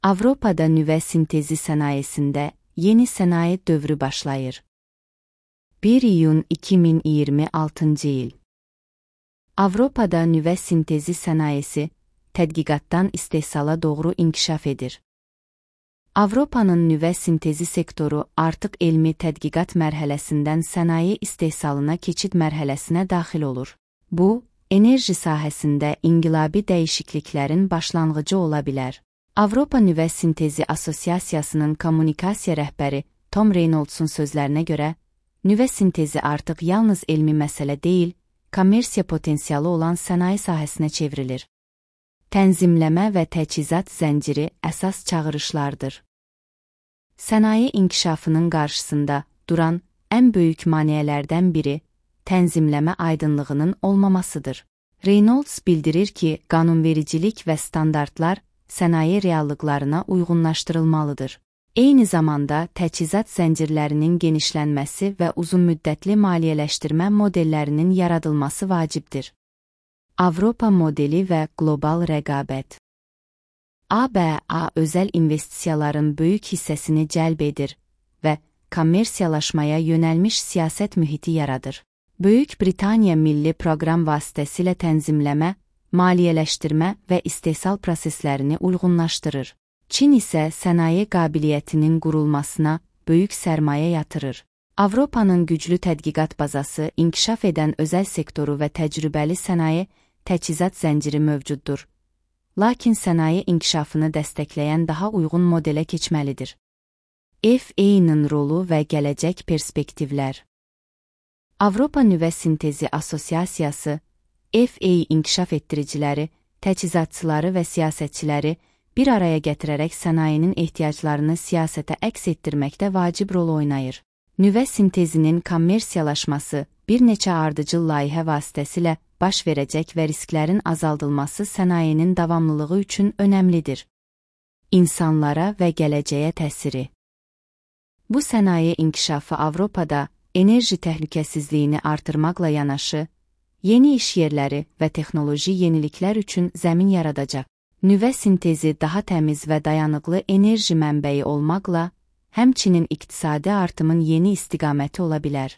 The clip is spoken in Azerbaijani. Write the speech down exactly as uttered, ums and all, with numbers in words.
Avropada nüvə sintezi sənayesində yeni sənaye dövrü başlayır. bir iyun iki min iyirmi altıncı il. Avropada nüvə sintezi sənayesi tədqiqatdan istehsala doğru inkişaf edir. Avropanın nüvə sintezi sektoru artıq elmi tədqiqat mərhələsindən sənaye istehsalına keçid mərhələsinə daxil olur. Bu, enerji sahəsində inqilabi dəyişikliklərin başlanğıcı ola bilər. Avropa Nüvə Sintezi Asosiasiyasının kommunikasiya rəhbəri Tom Reynolds'un sözlərinə görə, nüvə sintezi artıq yalnız elmi məsələ deyil, kommersiya potensialı olan sənaye sahəsinə çevrilir. Tənzimləmə və təchizat zənciri əsas çağırışlardır. Sənaye inkişafının qarşısında duran ən böyük maneələrdən biri tənzimləmə aydınlığının olmamasıdır. Reynolds bildirir ki, qanunvericilik və standartlar sənaye reallıqlarına uyğunlaşdırılmalıdır. Eyni zamanda təchizat zəncirlərinin genişlənməsi və uzunmüddətli maliyyələşdirmə modellərinin yaradılması vacibdir. Avropa modeli və qlobal rəqabət. A B A özəl investisiyaların böyük hissəsini cəlb edir və kommersiyalaşmaya yönəlmiş siyasət mühiti yaradır. Böyük Britaniya milli proqram vasitəsilə tənzimləmə, maliyyələşdirmə və istehsal proseslərini uyğunlaşdırır. Çin isə sənaye qabiliyyətinin qurulmasına böyük sərmayə yatırır. Avropanın güclü tədqiqat bazası, inkişaf edən özəl sektoru və təcrübəli sənaye təchizat zənciri mövcuddur. Lakin sənaye inkişafını dəstəkləyən daha uyğun modelə keçməlidir. F A-nın rolu və gələcək perspektivlər. Avropa Nüvə Sintezi Asosiasiyası, F A inkişaf etdiriciləri, təchizatçıları və siyasətçiləri bir araya gətirərək sənayenin ehtiyaclarını siyasətə əks etdirməkdə vacib rol oynayır. Nüvə sintezinin kommersiyalaşması bir neçə ardıcıl layihə vasitəsilə baş verəcək və risklərin azaldılması sənayenin davamlılığı üçün önəmlidir. İnsanlara və gələcəyə təsiri. Bu sənaye inkişafı Avropada enerji təhlükəsizliyini artırmaqla yanaşı, yeni iş yerləri və texnoloji yeniliklər üçün zəmin yaradacaq. Nüvə sintezi daha təmiz və dayanıqlı enerji mənbəyi olmaqla, həmçinin iqtisadi artımın yeni istiqaməti ola bilər.